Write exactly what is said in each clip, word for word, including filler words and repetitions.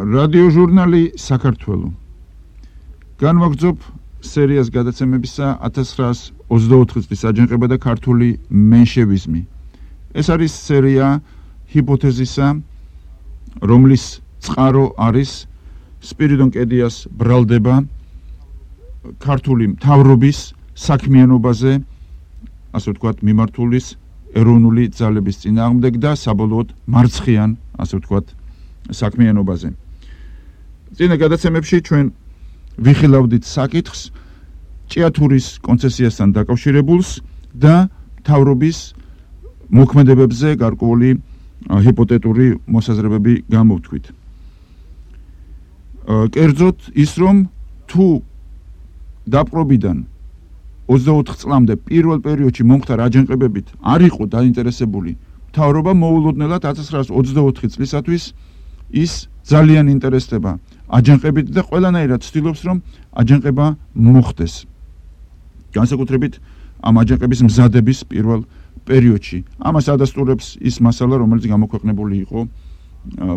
რადიოჟურნალი საქართველო. განვაგრძობ სერიას გადაცემებისა ათას ცხრაას ოცდაოთხი წლის აჯანყება და ქართული მენშევიზმი. ეს არის სერია ჰიპოთეზისა, რომლის წყარო არის სპირიდონ კედიას ბრალდება ქართული მთავრობის საქმიანობაზე, ასე ვთქვათ, მიმართულის ეროვნული ძალების წინააღმდეგ და საბოლოოდ მარცხიან, ასე ვთქვათ, საქმიანობაზე. წინა გადაცემებში ჩვენ ვიხილავდით საკითხს ჭიათურის კონცესიასთან დაკავშირებულს და მთავრობის მოქმედებებზე გარკვეული ჰიპოთეტური მოსაზრებები გამოვთქვით. კერძოდ ის, რომ თუ დაპყრობიდან ოცდაოთხ წლამდე პირველ პერიოდში მომხდარ აჯანყებებით არ იყო დაინტერესებული მთავრობა, მოულოდნელად ათას ცხრაას ოცდაოთხი წლისათვის ის ძალიან ინტერესდება აჯანყებით და ყველანაირად ცდილობს, რომ აჯანყება მოხდეს. განსაკუთრებით ამ აჯანყების მზადების პირველ პერიოდში. ამას ადასტურებს ის მასალა, რომელიც გამოქვეყნებული იყო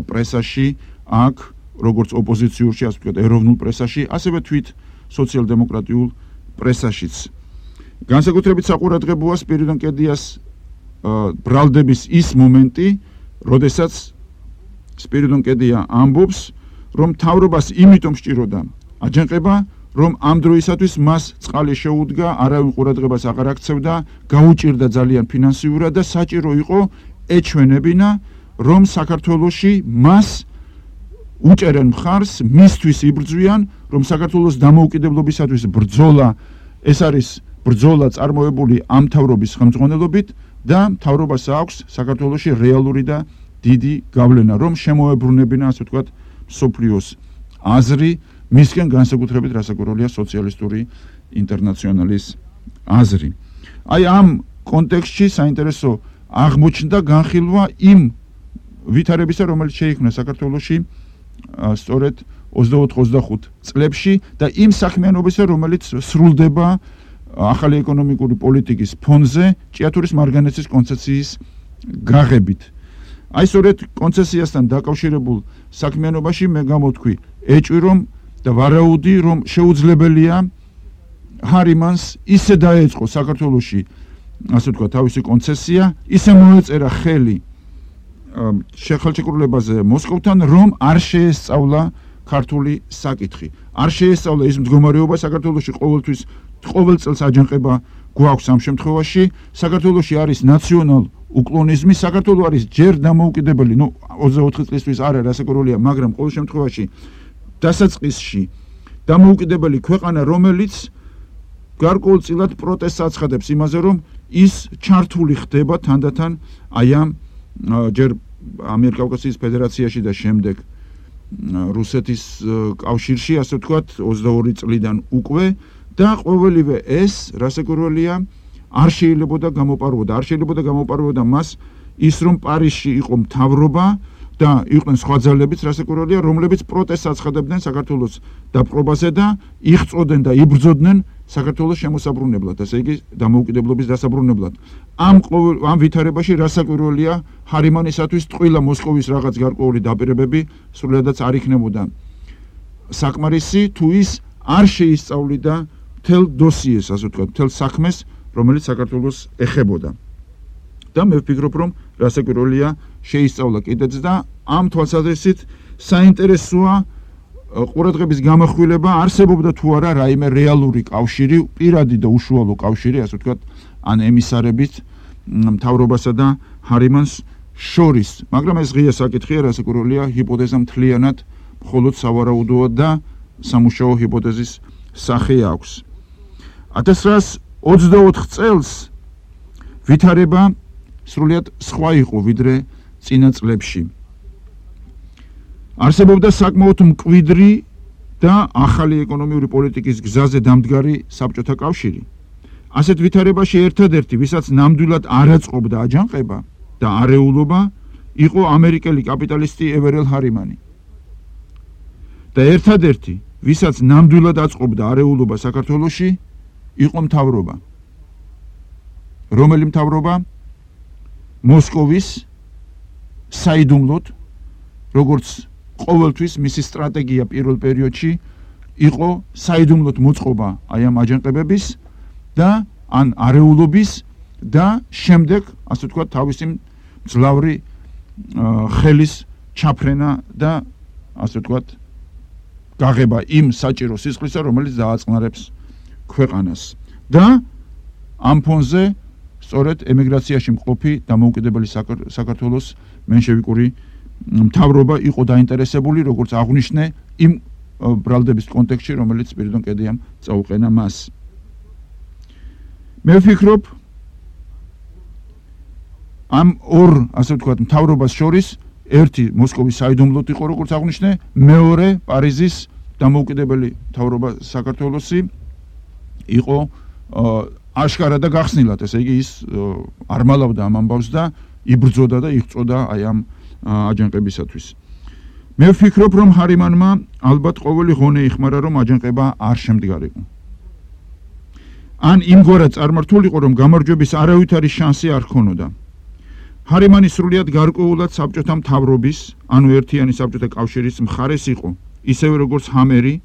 პრესაში, აქ როგორც ოპოზიციურში, ასე ვთქვათ, ეროვნულ პრესაში, ასევე თვით სოციალ-დემოკრატიულ პრესაშიც. განსაკუთრებით საყურადღებოა სპირიდონ კედიას ბრალდების ის მომენტი, როდესაც სპირიდონ კედია ამბობს, რომ მთავრობას იმიტომ სჭიროდა აჯანყება, რომ ამ დროისათვის მას წყალი შეუდგა, არავინ ყურადღებას აღარ აქცევდა, გაუჭირდა ძალიან ფინანსიურად და საჭირო იყო ეჩვენებინა, რომ საქართველოში მას უჭერენ მხარს, მისთვის იბრძვიან, რომ საქართველოს დამოუკიდებლობისათვის ბრძოლა, ეს არის ბრძოლა წარმოებული ამ მთავრობის ხელმძღვანელობით და მთავრობას აქვს საქართველოში რეალური და დიდი გავლენა, რომ შემოებრუნებინა, ასე ვთქვათ, მსოფლიოს აზრი, მისგან განსაკუთრებით რასაკვირველია სოციალისტური ინტერნაციონალის აზრი. აი ამ კონტექსტში საინტერესო აღმოჩნდა განხილვა იმ ვითარებისა, რომელიც შეიქმნა საქართველოში სწორედ ოცდაოთხ ოცდახუთ წლებში და იმ საქმიანობისა, რომელიც სრულდება ახალი ეკონომიკური პოლიტიკის ფონზე ჭიათურის მარგანეცის კონცესიის გაღებით. აი სწორედ კონცესიასთან დაკავშირებულ საქმიანობაში მე გამოვთქვი ეჭვი, რომ და ვარაუდი, რომ შეუძლებელია ჰარიმანს ისე დაეწყო საქართველოში, ასე ვთქვათ, თავისი კონცესია, ისე მოეწერა ხელი ხელშეკრულებაზე მოსკოვთან, რომ არ შეესწავლა ქართული საკითხი. არ შეესწავლა ის მდგომარეობა საქართველოში ყოველთვის ყოველ წელს აჯანყება გვაქვს ამ შემთხვევაში. საქართველოში არის ნაციონალ უკლონიზმი, საქართველო არის ჯერ დამოუკიდებელი, ნუ ოცდაოთხი წლისთვის არა რასაკვირველია, მაგრამ ყოველ შემთხვევაში დასაწყისში დამოუკიდებელი ქვეყანა, რომელიც გარკვეულწილად პროტესტს აცხადებს იმაზე, რომ ის ჩართული ხდება თანდათან აი ამ ჯერ ამიერკავკასიის ფედერაციაში და შემდეგ რუსეთის კავშირში, ასე ვთქვათ, ოცდაორი წლიდან უკვე და ყოველივე ეს რასაკვირველია არ შეიძლებოდა გამოპარვოდა, არ შეიძლებოდა გამოპარვოდა მას ის, რომ პარიზში იყო მთავრობა და იყვნენ სხვა ძალებიც, რასაკვირველია, რომლებიც პროტესტს აცხადებდნენ საქართველოს დაპყრობაზე და იღწოდნენ და იბრძოდნენ საქართველოს შემოსაბრუნებლად, ასე იგი დამოუკიდებლობის დასაბრუნებლად. ამ ამ ვითარებაში რასაკვირველია ჰარიმანისათვის ტყუილა მოსკოვის რაღაც გარკვეული დაპირებები სრულიადაც არ იქნებოდა საკმარისი, თუ ის არ შეისწავლიდა მთელ დოსიეს, ასე ვთქვათ, მთელ საქმეს, რომელიც საქართველოს ეხებოდა. და მე ვფიქრობ, რომ რასაკვირველია შეისწავლა კიდეც და ამ თვალსაზრისით საინტერესოა ყურადღების გამახვილება, არსებობდა თუ არა რაიმე რეალური კავშირი, პირადი და უშუალო კავშირი, ასე ვთქვათ, ან ემისარებით მთავრობასა და ჰარიმანს შორის. მაგრამ ეს ღია საკითხია, რასაკვირველია ჰიპოთეზა მთლიანად მხოლოდ სავარაუდოა და სამუშაო ჰიპოთეზის სახე აქვს. ათას ცხრაას ოცდაოთხ წელს ვითარება სრულიად სხვა იყო ვიდრე წინა წლებში. არსებობდა საკმაოდ მკვიდრი და ახალი ეკონომიური პოლიტიკის გზაზე დამდგარი საბჭოთა კავშირი. ასეთ ვითარებაში ერთადერთი, ვისაც ნამდვილად არ აწყობდა აჯანყება და არეულობა, იყო ამერიკელი კაპიტალისტი ევერელ ჰარიმანი. და ერთადერთი, ვისაც ნამდვილად აწყობდა არეულობა საქართველოში, იყო მთავრობა. რომელი მთავრობა? მოსკოვის საიდუმლოდ, როგორც ყოველთვის მისი სტრატეგია პირველ პერიოდში იყო საიდუმლოდ მოწყობა აი ამ აჯანყებების და ან არეულობის და შემდეგ, ასე ვთქვათ, თავისი მძლავრი ხელის ჩაფრენა და ასე ვთქვათ, გაღება იმ საჭირო სისხლისა, რომელიც დააწყნარებს ქვეყანას. და ამ ფონზე სწორედ ემიგრაციაში მყოფი დამოუკიდებელი საქართველოს მენშევიკური მთავრობა იყო დაინტერესებული, როგორც აღვნიშნე, იმ ბრალდების კონტექსტში, რომელიც სპირიდონ კედიამ წაუყენა მას. მე ვფიქრობ, ამ ორ, ასე ვთქვათ, მთავრობას შორის ერთი მოსკოვის საიდუმლოდ იყო, როგორც აღვნიშნე, მეორე პარიზის დამოუკიდებელი მთავრობა საქართველოსი იყო აშკარა და გახსნილად, ესე იგი ის არ მალავდა ამ ამბავს და იბრძოდა და იღწოდა აი ამ აჯანყებისათვის. მე ვფიქრობ, რომ ჰარიმანმა ალბათ ყოველი ღონე იხმარა, რომ აჯანყება არ შემდგარიყო. ან იმგვარად წარმართულიყო, რომ გამარჯვების არავითარი შანსი არ ჰქონოდა. ჰარიმანი სრულიად გარკვეულად საბჭოთა მთავრობის, ანუ ერთიანი საბჭოთა კავშირის მხარეს იყო, ისევე როგორც ჰამერი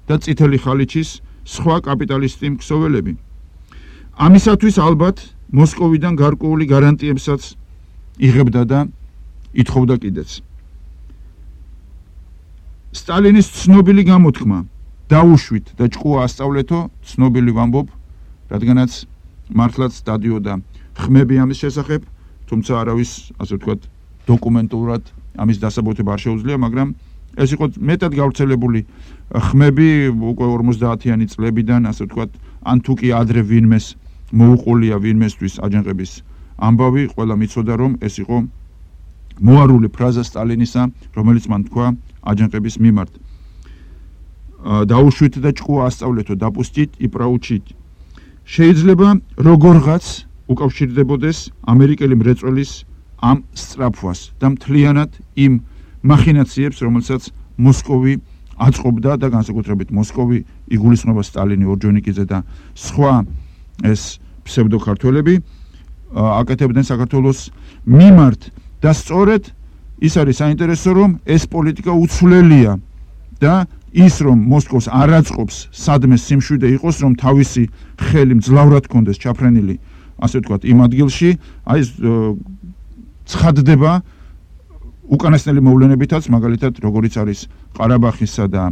და წითელი ხალიჩის სხვა კაპიტალისტი მქსოველები. ამისათვის ალბათ მოსკოვიდან გარკვეული გარანტიებსაც იღებდა და ითხოვდა კიდეც. სტალინის ცნობილი გამოთქმა დაუშვით და ჭკუა ასწავლეთო, ცნობილი ვამბობ, რადგანაც მართლაც დადიოდა ხმები ამის შესახებ, თუმცა არავის, ასე ვთქვათ, დოკუმენტურად ამის დასაბუთება არ შეუძლია, მაგრამ ეს იყო მეტად გავრცელებული ხმები უკვე ორმოცდაათიანი წლებიდან, ასე ვთქვათ, ან თუ კი ადრე ვინმეს მოუყოლია ვინმესთვის აჯანყების ამბავი, ყველა მიცოდა, რომ ეს იყო მოარული ფრაზა სტალინისა, რომელიც მან თქვა აჯანყების მიმართ. დაუშვით და ჭკუა ასწავლეთო, დაპუსტით и проучить. შეიძლება როგორღაც უკავშირდებოდეს ამერიკელი მრეწველის ამ სწრაფვას და მთლიანად იმ მახინაციებს, რომელსაც მოსკოვი აწყობდა და განსაკუთრებით მოსკოვი იგულისხმება სტალინი, ორჯონიკიძე და სხვა ეს ფსევდოქართველები აკეთებდნენ საქართველოს მიმართ და სწორედ ის არის საინტერესო, რომ ეს პოლიტიკა უცვლელია და ის რომ მოსკოვს არ აწყობს სადმე სიმშვიდე იყოს, რომ თავისი ხელი მძლავრად კონდეს ჩაფრენილი, ასე ვთქვათ, იმ ადგილში, აი ცხადდება უკანასკნელი მოვლენებითაც, მაგალითად, როგორიც არის ყარაბაღისა და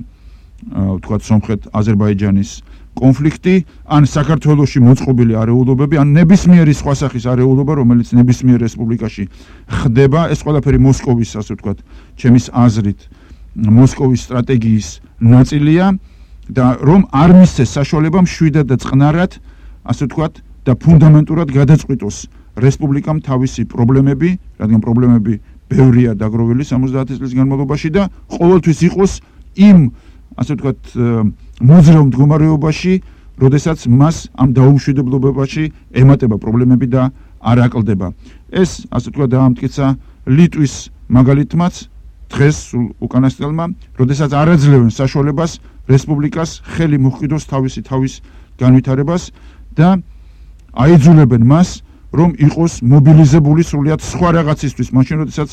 ვთქვათ, სომხეთ-აზერბაიჯანის კონფლიქტი, ან საქართველოში მოწყობილი არეულობები, ან ნებისმიერი სხვა სახის არეულობა, რომელიც ნებისმიერ რესპუბლიკაში ხდება, ეს ყველაფერი მოსკოვის, ასე ვთქვათ, ჩემის აზრით, მოსკოვის სტრატეგიის ნაწილია და რომ არ მისცეს საშუალება მშვიდად და წყნარად, ასე ვთქვათ, და ფუნდამენტურად გადაწყვიტოს რესპუბლიკამ თავისი პრობლემები, რადგან პრობლემები ბევრია დაგროვილი სამოცდაათი წლის განმავლობაში და ყოველთვის იყოს იმ, ასე ვთქვათ, მოძრავ მდგომარეობაში, როდესაც მას ამ დაუმშვიდებლობაში ემატება პრობლემები და არ აკლდება. ეს, ასე ვთქვათ, დაამტკიცა ლიტვის მაგალითმაც დღეს სულ უკანასკნელმა, როდესაც არ აძლევენ საშუალებას რესპუბლიკას ხელი მოჰყიდოს თავისი თავის განვითარებას და აიძულებენ მას, რომ იყოს მობილიზებული სრულიად სხვა რაღაცისთვის, მაშინ როდესაც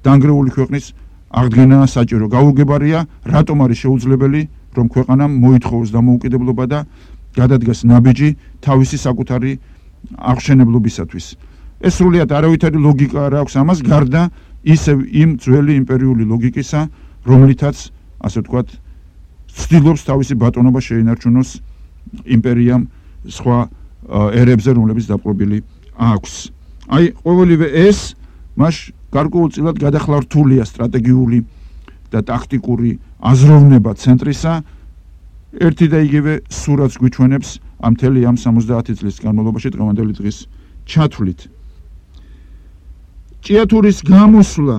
დანგრეული ქვეყნის აღდგენა საჭირო. გაუგებარია, რატომ არის შეუძლებელი, რომ ქვეყანამ მოითხოვოს დამოუკიდებლობა და გადადგას ნაბიჯი თავისი საკუთარი აღშენებლობისათვის. ეს სრულიად არავითარი ლოგიკა არ აქვს ამას, გარდა ისევ იმ ძველი იმპერიული ლოგიკისა, რომლითაც, ასე ვთქვათ, ცდილობს თავისი ბატონობა შეინარჩუნოს იმპერიამ სხვა ერებზე, რომლებიც დაპყრობილი აქვს. აი, ყოველივე ეს მას გარკვეულწილად გადახლართულია სტრატეგიული და ტაქტიკური აზროვნება ცენტრისა, ერთი და იგივე სურათს გვიჩვენებს ამ მთელი ამ სამოცდაათი წლის განმავლობაში დღევანდელი დღის ჩათვლით. ჭიათურის გამოსვლა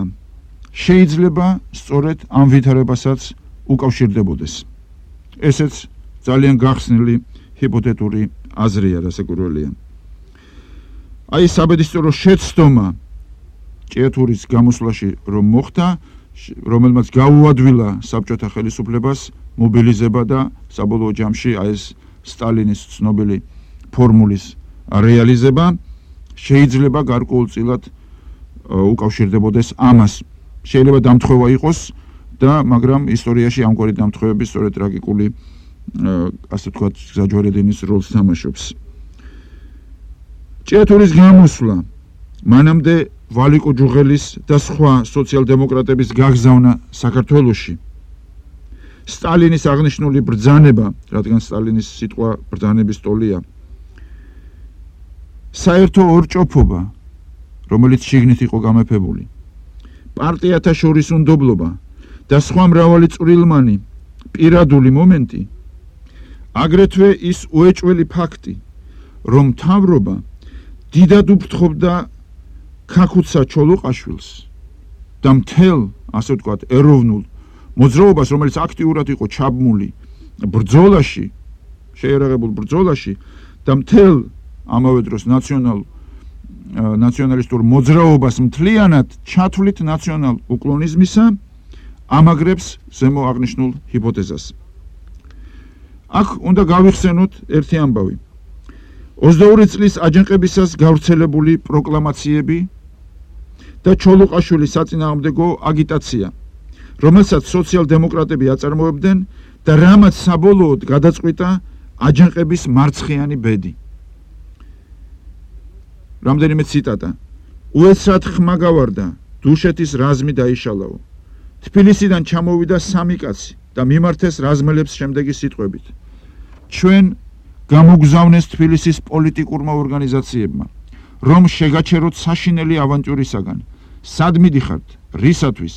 შეიძლება სწორედ ამ ვითარებასაც უკავშირდებოდეს. ესეც ძალიან გახსნილი ჰიპოთეტური აზრია, რასაკვირველია. აი საბედისწერო შეცდომა ჭიათურის გამოსვლაში რომ მოხდა, რომელმაც გაუადვილა საბჭოთა ხელისუფლებას მობილიზება და საბოლოო ჯამში აი ეს სტალინის ცნობილი ფორმულის რეალიზება შეიძლება გარკვეულწილად უკავშირდებოდეს ამას. შეიძლება დამთხევა იყოს და მაგრამ ისტორიაში ამგვარი დამთხოვები სწორედ ტრაგიკული ასე ვთქვათ გზაჯვარედინის როლს თამაშობს. ჭიათურის გამოსვლა მანამდე ვალიკო ჯუღელის და სხვა სოციალ-დემოკრატების გაგზავნა საქართველოში. სტალინის აღნიშნული ბრძანება, რადგან სტალინის სიტყვა ბრძანების ტოლია, საერთო ორჭოფობა, რომელიც შიგნით იყო გამეფებული, პარტიათა შორის უნდობლობა და სხვა მრავალი წვრილმანი პირადული მომენტი, აგრეთვე ის უეჭველი ფაქტი, რომ მთავრობა დიდად უფრთხობდა ქაქუცა ჩოლოყაშვილს და მთელ, ასე ვთქვათ, ეროვნულ მოძრაობას, რომელიც აქტიურად იყო ჩაბმული ბრძოლაში, შეიარაღებულ ბრძოლაში და მთელ ამავე დროს ნაციონალ ნაციონალისტურ მოძრაობას მთლიანად ჩათვლით ნაციონალ უკლონიზმისა ამაგრებს ზემო აღნიშნულ ჰიპოთეზას. აქ უნდა გავიხსენოთ ერთი ამბავი. ოცდაორი წლის აჯანყებისას გავრცელებული პროკლამაციები და ჩოლოყაშვილის საწინააღმდეგო აგიტაცია, რომელსაც სოციალ-დემოკრატები აწარმოებდნენ და რამაც საბოლოოდ გადაწყვიტა აჯანყების მარცხიანი ბედი. რამდენიმე ციტატა. უეცრად ხმა გავარდა, დუშეთის რაზმი დაიშალაო. თბილისიდან ჩამოვიდა სამი კაცი და მიმართეს რაზმელებს შემდეგი სიტყვებით. ჩვენ გამოგზავნეს თბილისის პოლიტიკურმა ორგანიზაციებმა, რომ შეგაჩეროთ საშინელი ავანტიურისაგან. სად მიდიხართ? რისათვის?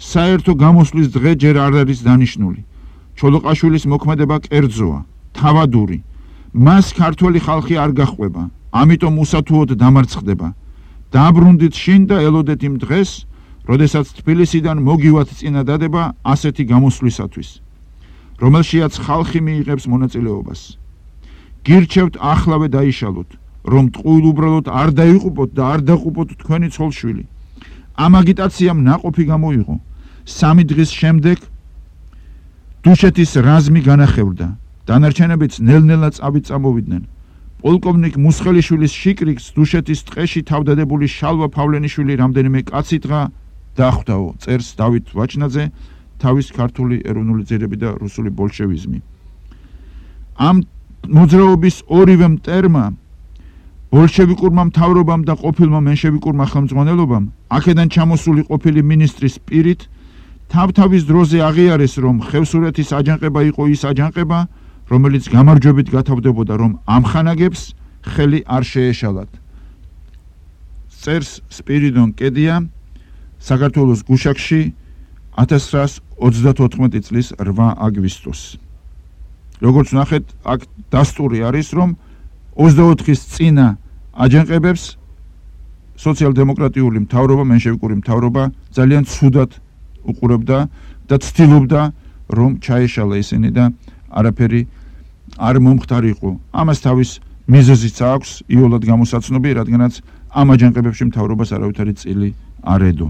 საერთო გამოსვლის დღე ჯერ არ არის დანიშნული. ჩოლოყაშვილის მოქმედება კერძოა, თავადური. მას ქართველი ხალხი არ გაჰყვება, ამიტომ უსათუოდ დამარცხდება. დაბრუნდით შინ და ელოდეთ იმ დღეს, როდესაც თბილისიდან მოგივათ წინადადება ასეთი გამოსვლისათვის, რომელშიაც ხალხი მიიღებს მონაწილეობას. გირჩევთ ახლავე დაიშალოთ, რომ ტყუილ უბრალოდ არ დაიყუპოთ და არ დაყუპოთ თქვენი ცოლშვილი. ამ აგიტაციამ ნაყოფი გამოიღო. სამი დღის შემდეგ დუშეთის რაზმი განახევრდა. დანარჩენებიც ნელ-ნელა წავით წამოვიდნენ. პოლკოვნიკ მუსხელიშვილის შიკრიკს დუშეთის ტყეში თავდადებული შალვა ფავლენიშვილი რამდენიმე კაცი დღა დახვდაო, წერს დავით ვაჩნაძე, თავის ქართული ეროვნული ძირები და რუსული ბოლშევიზმი. ამ მოძრაობის ორივე მტერმა, ბოლშევიკურმა მთავრობამ და ყოფილმა მენშევიკურმა ხელმძღვანელობამ, აქედან ჩამოსული ყოფილი მინისტრის პირით, თავ-თავის დროზე აღიარეს, რომ ხევსურეთის აჯანყება იყო ის აჯანყება, რომელიც გამარჯვებით გათავდებოდა, რომ ამხანაგებს ხელი არ შეეშალათ. წერს სპირიდონ კედია, საქართველოს გუშაკში ათას ცხრაას ოცდათოთხმეტი წლის რვა აგვისტოს. როგორც ნახეთ, აქ დასტური არის, რომ ოცდაოთხის წინა აჯანყებებს სოციალ-დემოკრატიული მთავრობა, მენშევიკური მთავრობა ძალიან ცუდად უყურებდა და ცდილობდა, რომ ჩაეშალა ისინი და არაფერი არ მომხდარიყო. ამას თავის მიზეზიც აქვს იოლად გამოსაცნობი, რადგანაც ამ აჯანყებებში მთავრობას არავითარი წილი არ ედო.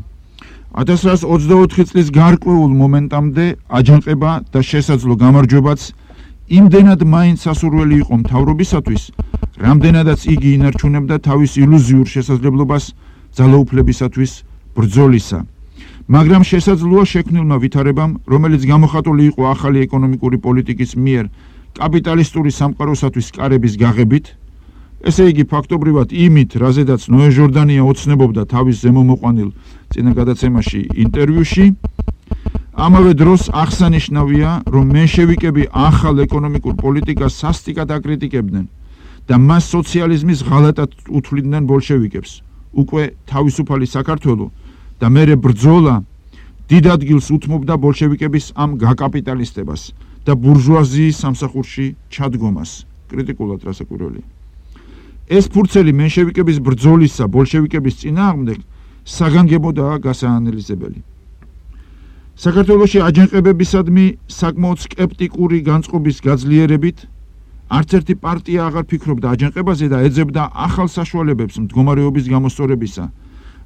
ათას ცხრაას ოცდაოთხი წლის გარკვეულ მომენტამდე აჯანყება და შესაძლო გამარჯვებაც იმდენად მაინც სასურველი იყო მთავრობისათვის, რამდენადაც იგი ინარჩუნებდა თავის ილუზიურ შესაძლებლობას ძალაუფლებისათვის ბრძოლისა. მაგრამ შესაძლოა შექმნილმა ვითარებამ, რომელიც გამოხატული იყო ახალი ეკონომიკური პოლიტიკის მიერ კაპიტალისტური სამყაროსათვის კარების გაღებით, ესე იგი ფაქტობრივად იმით, რაზედაც ნოე ჟორდანია ოცნებობდა თავის ზემომოყვანილ წინა გადაცემაში ინტერვიუში, ამავე დროს აღსანიშნავია, რომ მენშევიკები ახალ ეკონომიკურ პოლიტიკას სასტიკად აკრიტიკებდნენ და მას სოციალიზმის ღალატად უთვლიდნენ ბოლშევიკებს. უკვე თავისუფალი საქართველო და მერე ბრძოლა დიდ ადგილს უთმობდა ბოლშევიკების ამ გაკაპიტალისტებას და ბურჟუაზიის სამსახურში ჩადგომას. კრიტიკულად რასაკვირველია. ეს ფურცელი მენშევიკების ბრძოლისა ბოლშევიკების წინააღმდეგ საგანგებოდაა გასაანალიზებელი. საქართველოში აჯანყებებისადმი საკმაოდ სკეპტიკური განწყობის გაძლიერებით არც ერთი პარტია აღარ ფიქრობდა აჯანყებაზე და ეძებდა ახალ საშუალებებს მდგომარეობის გამოსწორებისა,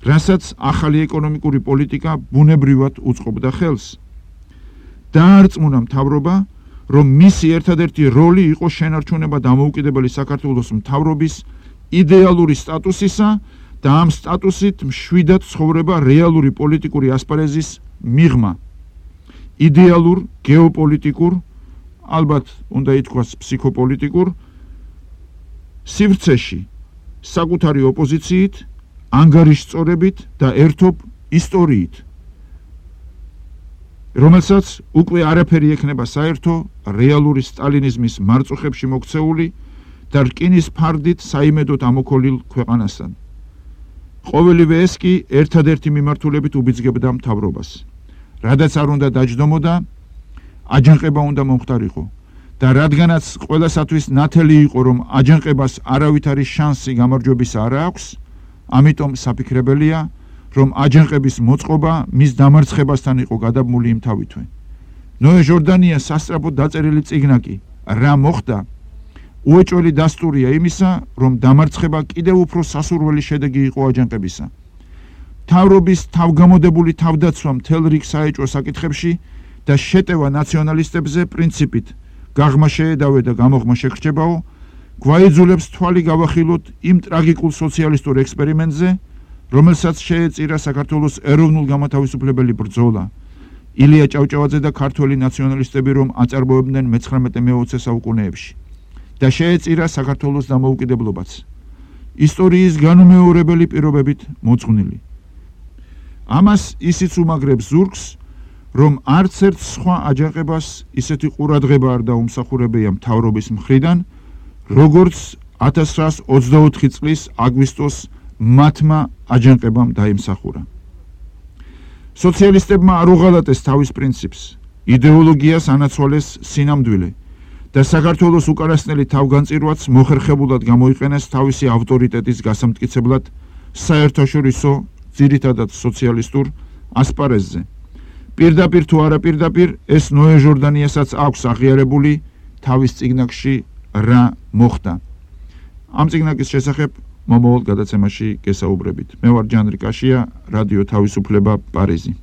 რასაც ახალი ეკონომიკური პოლიტიკა ბუნებრივად უწყობდა ხელს. დაარწმუნა მთავრობა, რომ მისი ერთადერთი როლი იყო შენარჩუნება დამოუკიდებელი საქართველოს მთავრობის იდეალური სტატუსისა და ამ სტატუსით მშვიდად ცხოვრება რეალური პოლიტიკური ასპარეზის მიღმა. იდეალურ, გეოპოლიტიკურ, ალბათ უნდა ითქვას ფსიქოპოლიტიკურ სივრცეში საკუთარი ოპოზიციით, ანგარიშწორებით და ერთობ ისტორიით, რომელსაც უკვე არაფერი ექნება საერთო რეალური სტალინიზმის მარწუხებში მოქცეული და რკინის ფარდით საიმედოდ ამოქოლილ ქვეყანასთან. ყოველივე ეს კი ერთადერთი მიმართულებით უბიძგებდა მთავრობას. რადგანაც არ უნდა დაჯდომოდა, აჯანყება უნდა მომხდარიყო და რადგანაც ყველასათვის ნათელი იყო, რომ აჯანყებას არავითარი შანსი გამარჯვების არ აქვს, ამიტომ საფიქრებელია, რომ აჯანყების მოწყობა მის დამარცხებასთან იყო გადაბმული იმთავითვე. ნოე ჟორდანიას სასწრაფოდ დაწერილი წიგნა კი რა მოხდა, უეჭველი დასტურია იმისა, რომ დამარცხება კიდევ უფრო სასურველი შედეგი იყო აჯანყებისა. მთავრობის თავგამოდებული თავდაცვა მთელ რიგ საეჭვო საკითხებში და შეტევა ნაციონალისტებზე პრინციპით გაღმა შეედავე და გამოღმა შეგრჩებაო, გვაიძულებს თვალი გავახილოთ იმ ტრაგიკულ სოციალისტურ ექსპერიმენტზე, რომელსაც შეეწირა საქართველოს ეროვნულ გამათავისუფლებელი ბრძოლა. ილია ჭავჭავაძე და ქართველი ნაციონალისტები რომ აწარმოებდნენ მეცხრამეტე მეოცე საუკუნეებში და შეეწირა საქართველოს დამოუკიდებლობაც. ისტორიის განუმეორებელი პირობებით მოწვნილი. ამას ისიც უმაგრებს ზურგს, რომ არც ერთ სხვა აჯანყებას ისეთი ყურადღება არ დაუმსახურებია მთავრობის მხრიდან, როგორც ათას ცხრაას ოცდაოთხი წლის აგვისტოს მათმა აჯანყებამ დაიმსახურა. სოციალისტებმა არ უღალატეს თავის პრინციპს, იდეოლოგიას ანაცვალეს სინამდვილე და საქართველოს უკანასკნელი თავგანწირვაც მოხერხებულად გამოიყენეს თავისი ავტორიტეტის გასამტკიცებლად საერთაშორისო, ძირითადად სოციალისტურ ასპარეზზე. პირდაპირ თუ არა პირდაპირ, ეს ნოე ჟორდანიასაც აქვს აღიარებული თავის წიგნებში რა მოხდა. ამ წიგნაკის შესახებ მომავალ გადაცემაში გესაუბრებით. მე ვარ ჯანრი კაშია, რადიო თავისუფლება, პარიზი.